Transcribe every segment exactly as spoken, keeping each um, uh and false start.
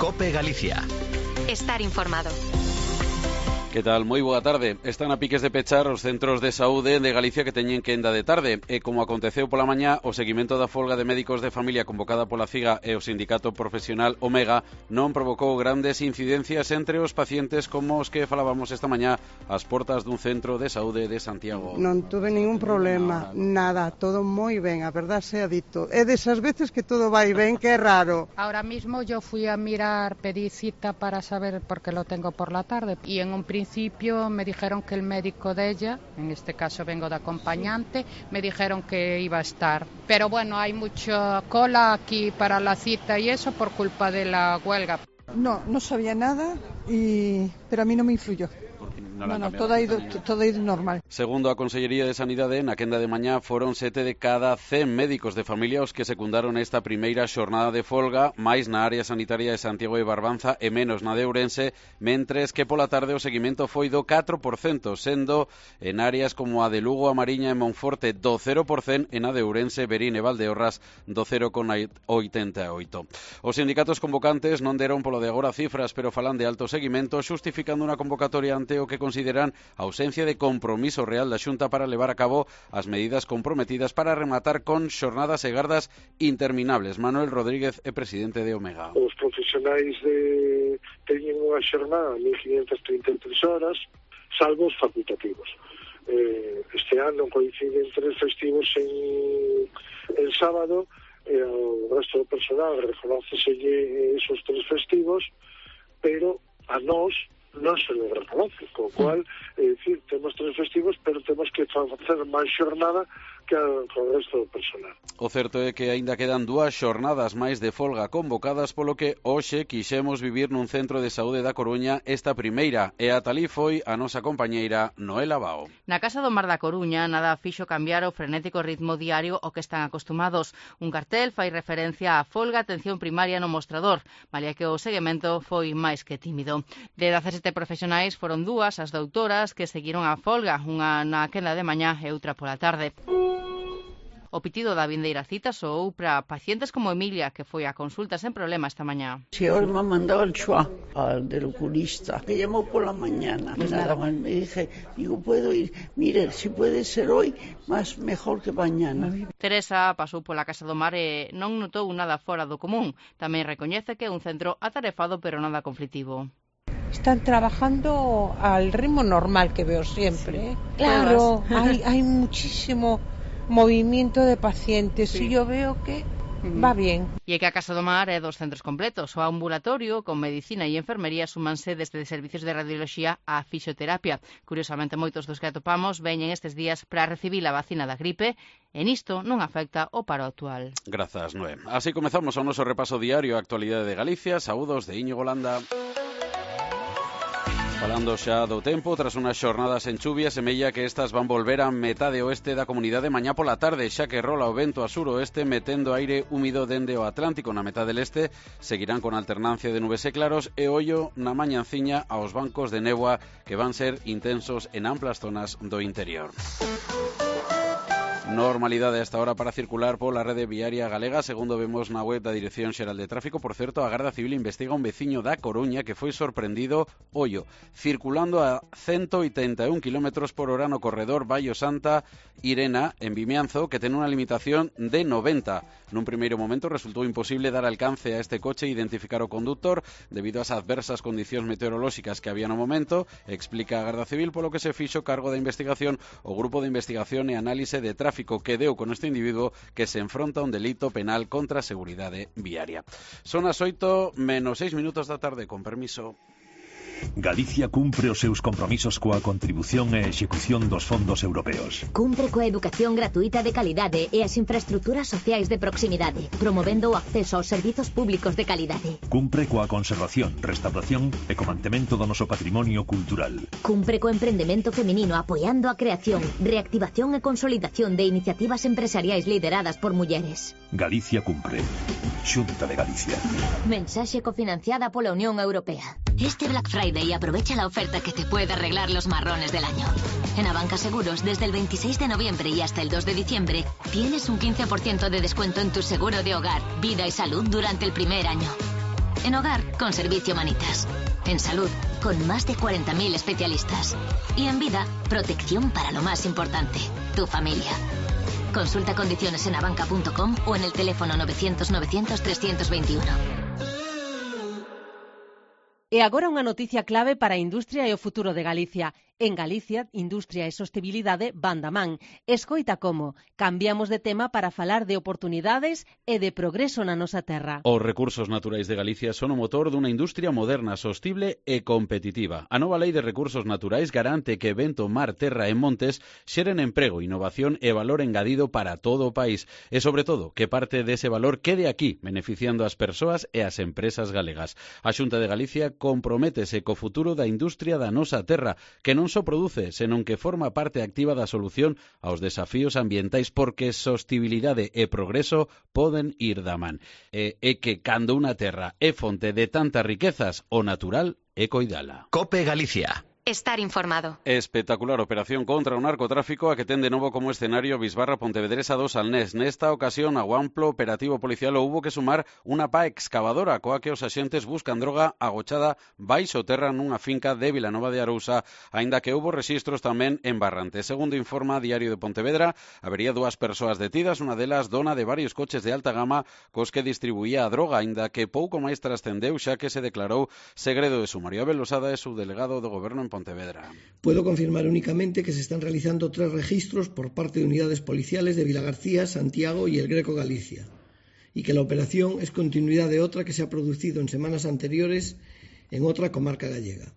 COPE Galicia. Estar informado. Que tal? Moi boa tarde. Están a piques de pechar os centros de saúde de Galicia que teñen quenda de tarde. E como aconteceu pola mañá, o seguimento da folga de médicos de familia convocada pola CIGA e o sindicato profesional Omega non provocou grandes incidencias entre os pacientes como os que falábamos esta mañá ás portas dun centro de saúde de Santiago. Non tuve ningún problema, nada, todo moi ben, a verdad sea dito. É desas veces que todo vai ben, que é raro. Ahora mismo yo fui a mirar, pedí cita para saber, porque lo tengo por la tarde, y en un principio me dijeron que el médico de ella, en este caso vengo de acompañante, me dijeron que iba a estar. Pero bueno, hay mucha cola aquí para la cita y eso por culpa de la huelga. No, no sabía nada, y... pero a mí no me influyó. No, no, no todo, ha ido, todo ha ido normal. Segundo a Consellería de Sanidade, na quenda de mañá foron sete de cada cen médicos de familia os que secundaron esta primeira xornada de folga, máis na área sanitaria de Santiago de Barbanza e menos na de Ourense, mentres que pola tarde o seguimento foi do catro por cento, sendo en áreas como a de Lugo, a Mariña e Monforte do cero por cento e na de Ourense, Verín e Valdeorras do cero coma oitenta e oito. Os sindicatos convocantes non deron polo de agora cifras, pero falan de alto seguimento, xustificando unha convocatoria ante o que consideran a ausencia de compromiso real da Xunta para levar a cabo as medidas comprometidas para rematar con xornadas e gardas interminables. Manuel Rodríguez é presidente de Omega. Os profesionais de teñen unha xornada de mil quinhentas trinta e tres horas, salvo os facultativos. Eh, este ano coinciden tres festivos en, en sábado, e ao resto do personal reconóceselle esos tres festivos, pero a nós non se lo reconoce, co cual, é dicir, temos tres festivos, pero temos que facer máis xornada que o resto do personal. O certo é que aínda quedan dúas xornadas máis de folga convocadas, polo que hoxe quixemos vivir nun centro de saúde da Coruña esta primeira, e ata alí foi a nosa compañeira Noela Bao. Na Casa do Mar da Coruña nada fixo cambiar o frenético ritmo diario ao que están acostumados. Un cartel fai referencia á folga atención primaria no mostrador, malia que o seguimento foi máis que tímido. De dezasete profesionais foron dúas as doutoras que seguiron a folga, unha na quenda de mañá e outra pola tarde. O pitido da vindeira cita soou para pacientes como Emilia, que foi a consulta sen problema esta mañá. Si hoy me ha mandado el chua al del oculista, que llamó por la mañana. Pues nada más me dije, digo, puedo ir, mire, si puede ser hoy, más mejor que mañana. Teresa pasou pola Casa do Mar e non notou nada fora do común. Tamén recoñece que é un centro atarefado pero nada conflitivo. Están trabajando al ritmo normal que veo siempre. Sí. Claro, hay, hay muchísimo movimiento de pacientes, sí. Y yo veo que va bien. E é que a Casa do Mar é dos centros completos. O ambulatorio, con medicina e enfermería, súmanse desde servicios de radioloxía á fisioterapia. Curiosamente, moitos dos que atopamos veñen estes días para recibir a vacina da gripe, e nisto non afecta o paro actual. Grazas, Noé. Así comezamos o noso repaso diario a actualidade de Galicia. Saúdos de Íñigo Landa. Falando xa do tempo, tras unhas xornadas en chuvia, semella que estas van volver a metade oeste da comunidade mañá pola tarde, xa que rola o vento a suroeste metendo aire húmido dende o Atlántico. Na metade leste seguirán con alternancia de nubes e claros e ollo na mañanciña aos bancos de néboa que van ser intensos en amplas zonas do interior. Normalidade a esta hora para circular pola rede viaria galega, segundo vemos na web da Dirección Xeral de Tráfico. Por certo, a Garda Civil investiga un veciño da Coruña que foi sorprendido, ollo, circulando a ciento oitenta e un kilómetros por hora no corredor Baio Santa Irena, en Vimianzo, que ten unha limitación de noventa. Nun primeiro momento resultou imposible dar alcance a este coche e identificar o conductor debido ás adversas condicións meteorolóxicas que había no momento, explica a Garda Civil, polo que se fixo cargo da investigación o Grupo de Investigación e Análise de Tráfico que deu con este individuo que se enfronta a un delito penal contra a seguridade viaria. Son as oito menos seis minutos da tarde, con permiso. Galicia cumpre os seus compromisos coa contribución e execución dos fondos europeos. Cumpre coa educación gratuita de calidade e as infraestructuras sociais de proximidade, promovendo o acceso aos servizos públicos de calidade. Cumpre coa conservación, restauración e co mantemento do noso patrimonio cultural. Cumpre co emprendemento feminino apoiando a creación, reactivación e consolidación de iniciativas empresariais lideradas por mulleres. Galicia cumpre. Xunta de Galicia. Mensaxe cofinanciada pola Unión Europea. Este Black Friday aprovecha la oferta que te puede arreglar los marrones del año. En Abanca Seguros, desde el veintiséis de noviembre y hasta el dos de diciembre, tienes un quince por ciento de descuento en tu seguro de hogar, vida y salud durante el primer año. En hogar, con Servicio Manitas. En salud, con más de cuarenta mil especialistas. Y en vida, protección para lo más importante, tu familia. Consulta condiciones en abanca punto com o en el teléfono novecientos novecientos trescientos veintiuno. E agora unha noticia clave para a industria e o futuro de Galicia. En Galicia, Industria e Sostibilidade van da man. Escoita como cambiamos de tema para falar de oportunidades e de progreso na nosa terra. Os recursos naturais de Galicia son o motor dunha industria moderna, sostible e competitiva. A nova Lei de Recursos Naturais garante que vento, mar, terra e montes xeren emprego, innovación e valor engadido para todo o país. E, sobre todo, que parte dese valor quede aquí, beneficiando as persoas e as empresas galegas. A Xunta de Galicia comprométese co futuro da industria da nosa terra, que non só produce, senón que forma parte activa da solución aos desafíos ambientais, porque sostibilidade e progreso poden ir da man. E, e que cando unha terra é fonte de tantas riquezas, o natural é coidala. Cope Galicia. Estar informado. Espectacular operación contra o narcotráfico a que ten de novo como escenario Bisbarra Pontevedresa dos Alnés. Nesta ocasión, ao amplo operativo policial houbo que sumar unha pá excavadora coa que os axentes buscan droga agochada baixo terra nunha finca de Vilanova de Arousa, aínda que houbo rexistros tamén en Barrante. Segundo informa Diario de Pontevedra, habería dúas persoas detidas, unha delas dona de varios coches de alta gama cos que distribuía a droga, aínda que pouco máis trascendeu xa que se declarou segredo de sumario. Abel Losada é subdelegado do Goberno en Pontevedra. Puedo confirmar únicamente que se están realizando tres registros por parte de unidades policiales de Vilagarcía, Santiago y el Greco Galicia, y que la operación es continuidad de otra que se ha producido en semanas anteriores en otra comarca gallega.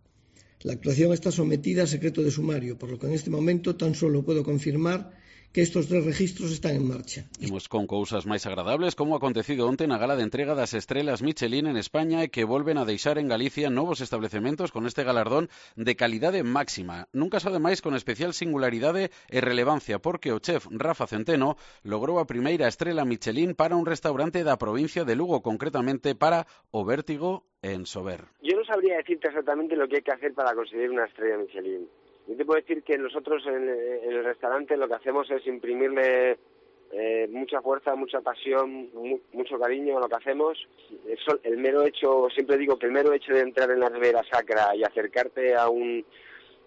La actuación está sometida a secreto de sumario, por lo que en este momento tan solo puedo confirmar que estos tres registros están en marcha. Imos con cousas máis agradables, como acontecido onte na gala de entrega das estrelas Michelin en España e que volven a deixar en Galicia novos establecementos con este galardón de calidade máxima. Nunca só ademais con especial singularidade e relevancia, porque o chef Rafa Centeno logrou a primeira estrela Michelin para un restaurante da provincia de Lugo, concretamente para o Vértigo en Sober. Yo no sabría decirte exactamente lo que hay que hacer para conseguir una estrella Michelin. Yo te puedo decir que nosotros en, en el restaurante lo que hacemos es imprimirle eh, mucha fuerza, mucha pasión, mu mucho cariño a lo que hacemos. Eso, el mero hecho, siempre digo que el mero hecho de entrar en la Ribera Sacra y acercarte a un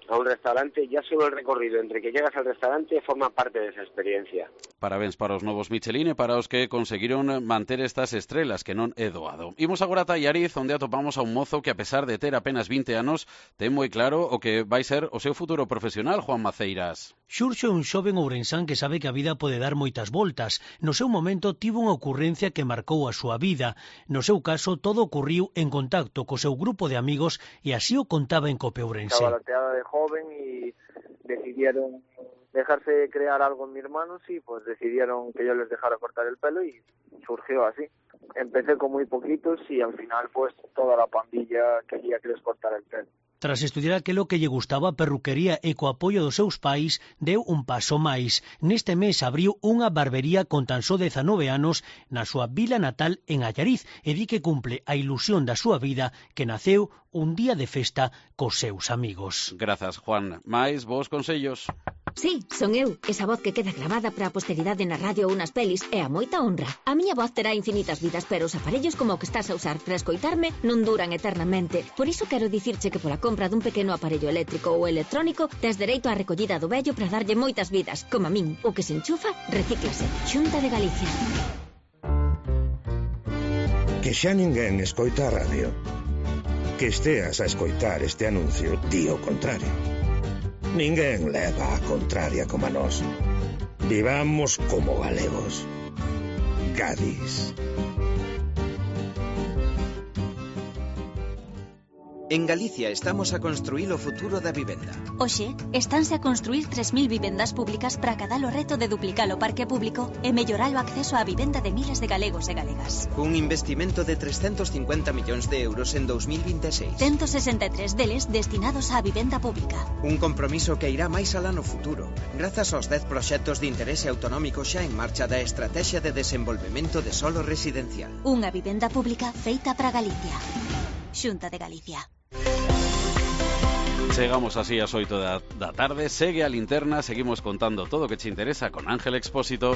a un restaurante, ya solo el recorrido entre que llegas al restaurante forma parte de esa experiencia. Parabéns para os novos Michelin e para os que conseguiron manter estas estrelas, que non é doado. Imos agora a Tallariz, onde atopamos a un mozo que, a pesar de ter apenas vinte anos, ten moi claro o que vai ser o seu futuro profesional, Juan Maceiras. Xurxo é un xoven ourensán que sabe que a vida pode dar moitas voltas. No seu momento tivo unha ocurrencia que marcou a súa vida. No seu caso, todo ocurriu en contacto co seu grupo de amigos e así o contaba en Cope Ourense. Estaba lateada de joven y decidieron dejarse crear algo en mis manos y pues decidieron que yo les dejara cortar el pelo y surgió así. Empecé con muy poquitos y al final pues toda la pandilla quería que les cortara el pelo. Tras estudiar aquilo que lle gustaba a perruquería e co apoio dos seus pais, deu un paso máis. Neste mes abriu unha barbería con tan só dezanove anos na súa vila natal en Allariz e di que cumple a ilusión da súa vida que naceu un día de festa cos seus amigos. Grazas, Juan. Mais vos consellos. Sí, son eu, esa voz que queda grabada para a posteridade na radio ou nas pelis é a moita honra. A miña voz terá infinitas vidas, pero os aparellos como o que estás a usar para escoitarme non duran eternamente. Por iso quero dicirche que pola compra dun pequeno aparello eléctrico ou electrónico tes dereito á recollida do vello para darlle moitas vidas. Como a min, o que se enchufa, recíclase. Xunta de Galicia. Que xa ninguén escoita a radio. Que esteas a escoitar este anuncio di o contrario. Ninguén leva a contraria como a nós. Vivamos como galegos. Gadis. En Galicia estamos a construir o futuro da vivenda. Oxe, estánse a construir tres mil vivendas públicas para cadar o reto de duplicar o parque público e mellorar o acceso á vivenda de miles de galegos e galegas. Un investimento de trescentos cincuenta millóns de euros en dos mil vinte e seis. ciento sesenta e tres deles destinados á vivenda pública. Un compromiso que irá máis alá no futuro, grazas aos dez proxectos de interese autonómico xa en marcha da Estrategia de Desenvolvemento de Solo Residencial. Unha vivenda pública feita para Galicia. Xunta de Galicia. Chegamos así ás oito da, da tarde, segue a linterna, seguimos contando todo o que che interesa con Ángel Expósito.